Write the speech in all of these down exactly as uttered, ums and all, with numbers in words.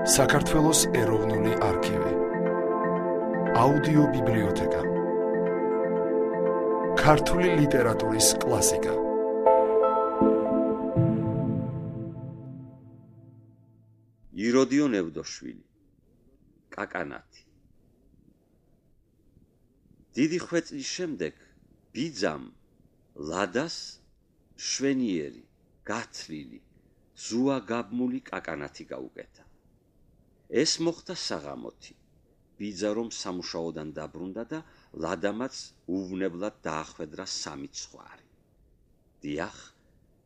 საქართველოს ეროვნული არქივი, აუდიო ბიბლიოთეკა, ქართული ლიტერატურის კლასიკა. იროდიო ნევდოშვილი, კაკანათი. დიდი ხვეწლის შემდეგ ბიძამ ლადას შვენიერი, გათლილი, ზუა გაბმული კაკანათი გაუკეთა. ეს მოხდა საღამოთი. ბიძა რომ სამუშაოდან დაბრუნდა და ლადამაც უვნებლად დაახვედრა სამი ცხვარი. დიახ,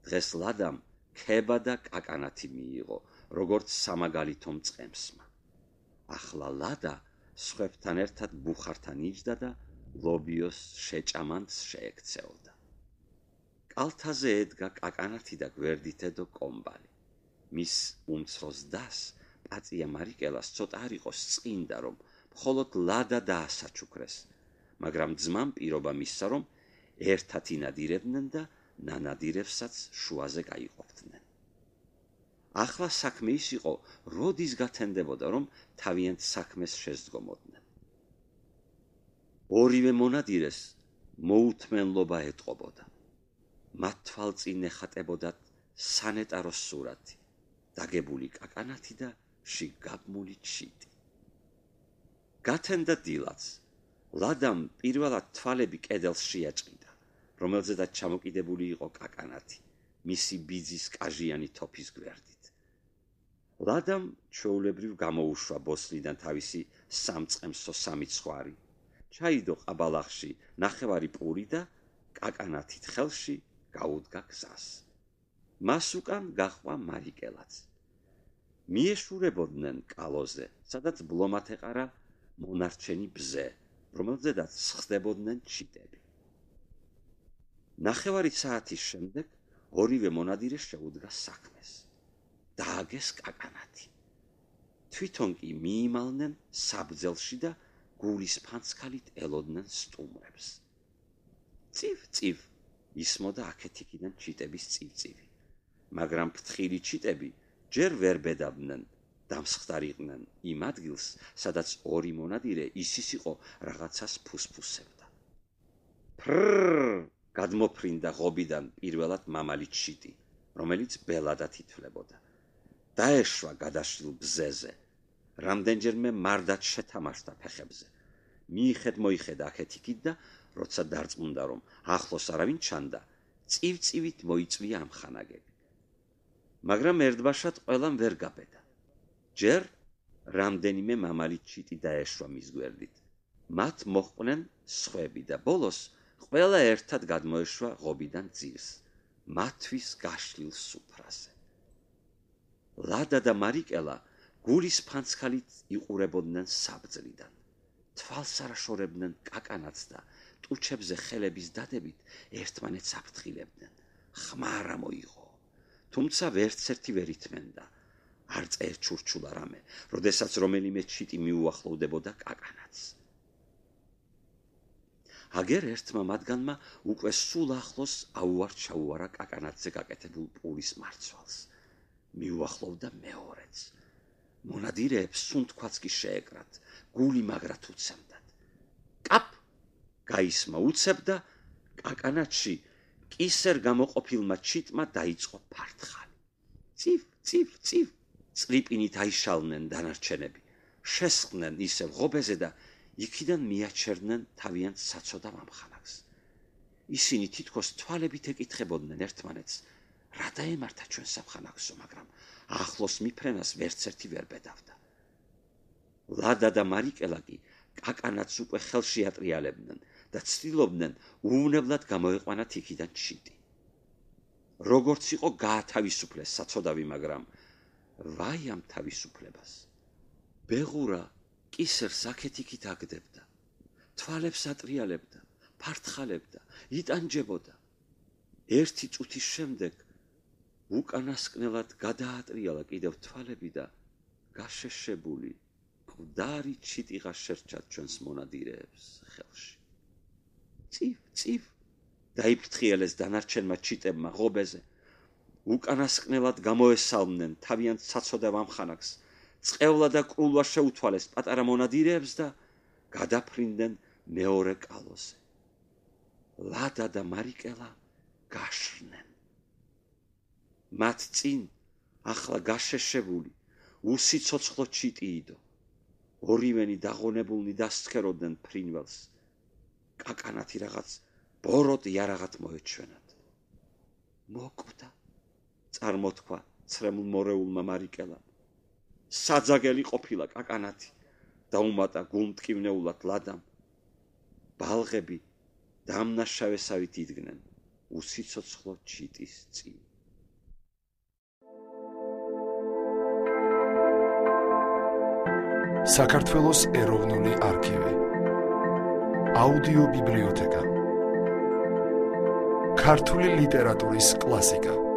დღეს ლადამ ქება და კაკანათი მიიღო, როგორც სამაგალითო მწყემსმა. ახლა ლადა სხვებთან ერთად ბუხართან იჯდა და ლობიოს შეჭამანს შეექცეოდა. კალთაზე ედგა კაკანათი და გვერდითედო კომბალი. მის უმცროს დას პაწია მარიკელას ცოტა არ იყოს წინდა, რომ მხოლოდ ლადა დაასაჩუქრეს, მაგრამ ძმამ პირობა მისცა, რომ ერთად ინადირებდნენ და ნანადირებსაც შუაზე გაიყოფდნენ. ახლა საქმე ის იყო, როდის გათენდებოდა, რომ თავიანთ საქმეს შესდგომოდნენ. ორივე მონადირეს მოუთმენლობა ეტყობოდა. მათ თვალწინ ეხატებოდათ სანეტაროს სურათი, დაგებული კაკანათი და შიგ გაბმული ჩიტი. გათენდა დილაც. ლადამ პირველად თვალები კედელს შეაჭყიდა, რომელზედაც ჩამოკიდებული იყო კაკანათი, მისი ბიძის კაჟიანი თოფის გვერდით. ლადამ ჩვეულებრივ გამოუშვა ბოსლიდან თავისი სამწყემსო სამი ცხვარი, ჩაიდო ყაბალახში ნახევარი პური და კაკანათით ხელში გაუდგა გზას. მას უკან გაჰყვა მარიკელაც. მიეშურებოდნენ კალოზე, სადაც ბლომად ეყარა მონარჩენი ბზე, რომელზედაც სხდებოდნენ ჩიტები. ნახევარი საათის შემდეგ ორივე მონადირე შეუდგა საქმეს. დააგეს კაკანათი. თვითონ კი მიიმალნენ საბძელში და გულის ფანცქალით ელოდნენ სტუმრებს. წივ-წივ ისმოდა აქეთ-იქიდან ჩიტების წივწივი, მაგრამ ფრთხილი ჩიტები ჯერ ვერ ბედავდნენ, დამსხდარიყვნენ იმ ადგილს, სადაც ორი მონადირე ისის იყო რაღაცას ფუსფუსებდა. ფრრრ გადმოფრინდა ღობიდან პირველად მამალი ჩიტი, რომელიც ბელადად ითვლებოდა. დაეშვა გადაშლილ ბზეზე, რამდენჯერმე მარდად შეთამაშდა ფეხებზე. მიიხედ-მოიხედა აქეთ-იქით და როცა დარწმუნდა, რომ ახლოს არავინ ჩანდა, წივ-წივით მოიწვია ამხანაგები. მაგრამ ერთბაშად ყველამ ვერ გაბედა. ჯერ რამდენიმე მამალი ჩიტი დაეშვა მის გვერდით. მათ მოჰყვნენ სხვები და ბოლოს ყველა ერთად გადმოეშვა ღობიდან ძირს, მათთვის გაშლილ სუფრაზე. ლადა და მარიკელა გულის ფანცქალით იყურებოდნენ საბძლიდან. თვალს არაშორებდნენ კაკანათს და ტუჩებზე ხელების დადებით ერთმანეთს აფრთხილებდნენ. ხმარა მოიღო, თუმცა ვერცერთი ვერ ითმენდა. არ წერჩურჩულა რამე, როდესაც რომელიმე ჩიტი მიუახლოვდებოდა კაკანათს. აგერ ერთმა მათგანმა უკვე სულ ახლოს აუარ-ჩაუარა კაკანათზე გაკეთებულ პურის მარცვალს. მიუახლოვდა მეორეც. მონადირეებს სუნთქვაც კი შეეკრათ, გული მაგრად უცემდათ. კაპ! გაისმა უცებ და კაკანათში კისერ გამოყოფილმა ჩიტმა დაიწყო ფარტხალი. წივ, წივ, წივ! წრიპინით აიშალნენ დანარჩენები, შესხდნენ ისევ ღობეზე და იქიდან მიაჩერდნენ თავიანთ საცოდავ ამხანაგს. ისინი თითქოს თვალებით ეკითხებოდნენ ერთმანეთს, რა დაემართა ჩვენ სამხანაგსო, მაგრამ ახლოს მიფრენას ვერცერთი ვერ ბედავდა. ლადა და მარიკელა კი კაკანათს უკვე ხელში ატრიალებდნენ და ცდილობდნენ უვნებლად გამოეყვანათ იქიდან ჩიტი. როგორც იყო გაათავისუფლეს საცოდავი, მაგრამ ვაი ამ თავისუფლებას. ბეღურა კისერს აქეთ-იქით აგდებდა, თვალებს ატრიალებდა, ფარტხალებდა, იტანჯებოდა. ერთი წუთის შემდეგ უკანასკნელად გადაატრიალა კიდევ თვალები და გაშეშებული მკვდარი ჩიტიღა შერჩათ ჩვენს მონადირეებს ხელში. წივ, წივ! დაიფრთხიელეს დანარჩენმა ჩიტებმა ღობეზე. უკანასკნელად გამოესალმნენ თავიანთ საცოდავ ამხანაგს წყევლა და კრულვა შეუთვალეს პატარა მონადირეებს და გადაფრინდნენ მეორე კალოზე. ლადა და მარიკელა გაშრნენ. მათ წინ ახლა გაშეშებული უსიცოცხლო ჩიტი იდო. ორივენი დაღონებულნი დასცქეროდნენ ფრინველს. კაკანათი რაღაც ბოროტ იარაღად მოეჩვენათ. მოკვდა, წარმოთქვა ცრემლ მორეულმა მარიკელამ. საძაგელი ყოფილა კაკანათი და უმატა გულმტკივნეულად ლადამ. ბალღები დამნაშავესავით იდგნენ უსიცოცხლო ჩიტის წინ. საქართველოს ეროვნული არქივი. აუდიო ბიბლიოთეკა. ქართული ლიტერატურის კლასიკა.